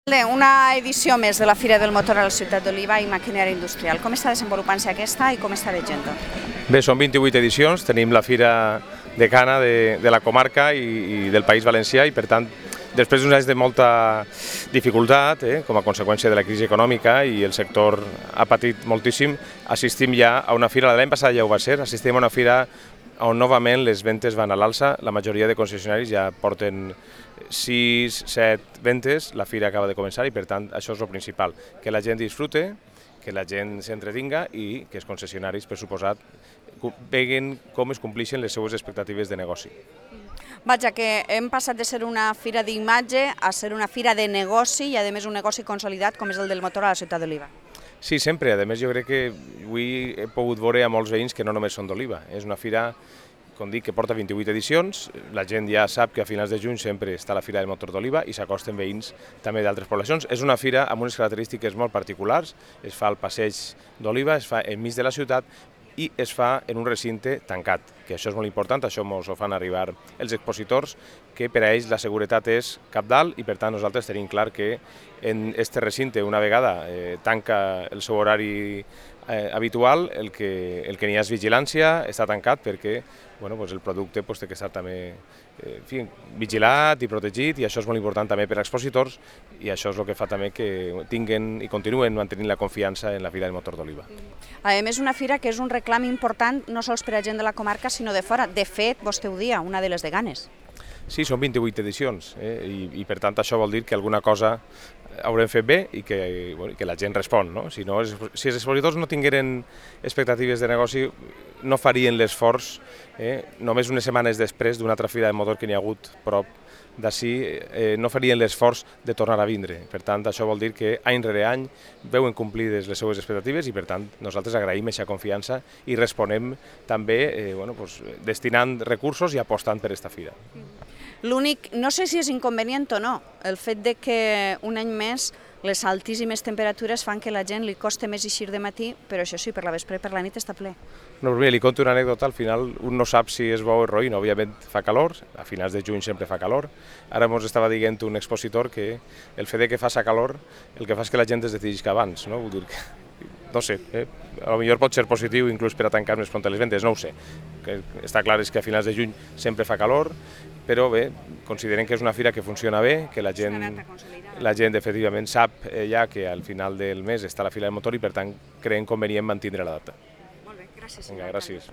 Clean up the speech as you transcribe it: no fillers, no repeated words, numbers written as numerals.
Una edició més de la Fira del Motor a la ciutat d'Oliva i maquinària industrial. Com està desenvolupant-se aquesta i com està veient? Bé, són 28 edicions, tenim la Fira decana de la comarca i del País Valencià i per tant, després d'uns anys de molta dificultat, com a conseqüència de la crisi econòmica i el sector ha patit moltíssim, assistim ja a una fira, l'any passat ja ho va ser, assistim a una fira on novament les ventes van a l'alça, la majoria de concessionaris ja porten 6, 7 ventes, la fira acaba de començar i per tant això és el principal, que la gent disfrute, que la gent s'entretinga i que els concessionaris, per suposat, veguin com es compleixen les seues expectatives de negoci. Vaja, que hem passat de ser una fira d'imatge a ser una fira de negoci i a més un negoci consolidat com és el del motor a la ciutat d'Oliva. Sí, sempre. A més, jo crec que avui he pogut veure a molts veïns que no només són d'Oliva. És una fira, com dic, que porta 28 edicions. La gent ja sap que a finals de juny sempre està la Fira del Motor d'Oliva i s'acosten veïns també d'altres poblacions. És una fira amb unes característiques molt particulars. Es fa al passeig d'Oliva, es fa enmig de la ciutat i es fa en un recinte tancat, que això és molt important, això ens ho fan arribar els expositors, que per a ells la seguretat és cabdal i per tant nosaltres tenim clar que en aquest recinte, una vegada tanca el seu horari habitual, el que n'hi ha és vigilància, està tancat perquè el producte té que estar també vigilat i protegit i això és molt important també per als expositors i això és el que fa també que tinguin i continuen mantenint la confiança en la Fira del Motor d'Oliva. A més, una fira que és un reclam important no sols per a gent de la comarca sinó de fora. De fet, vostè ho dia, una de les de Ganes. Sí, són 28 edicions i per tant això vol dir que alguna cosa haurem fet bé i que la gent respon. Si els expositors no tingueren expectatives de negoci no farien l'esforç només unes setmanes després d'una altra fira de motor que n'hi ha hagut prop d'ací, no farien l'esforç de tornar a vindre. Per tant, això vol dir que any rere any veuen complides les seues expectatives i per tant nosaltres agraïm aquesta confiança i responem també destinant recursos i apostant per aquesta fira. L'únic, no sé si és inconvenient o no, el fet de que un any més les altíssimes temperatures fan que la gent li costi més eixir de matí, però això sí, per la vespre i per la nit està ple. No, però li conto una anècdota, al final un no sap si és bo o roïn, òbviament fa calor, a finals de juny sempre fa calor, ara ens estava dient un expositor que el fet que faci calor el que fa és que la gent es decidisca abans, no? Vull dir que, no sé, potser pot ser positiu inclús per a tancar més pront les ventes, no ho sé. Que està clar és que a finals de juny sempre fa calor, però bé, considerem que és una fira que funciona bé, que la gent efectivament sap ja que al final del mes està la Fira del Motor i per tant creiem convenient mantindre la data. Molt bé, gràcies. Vinga, gràcies.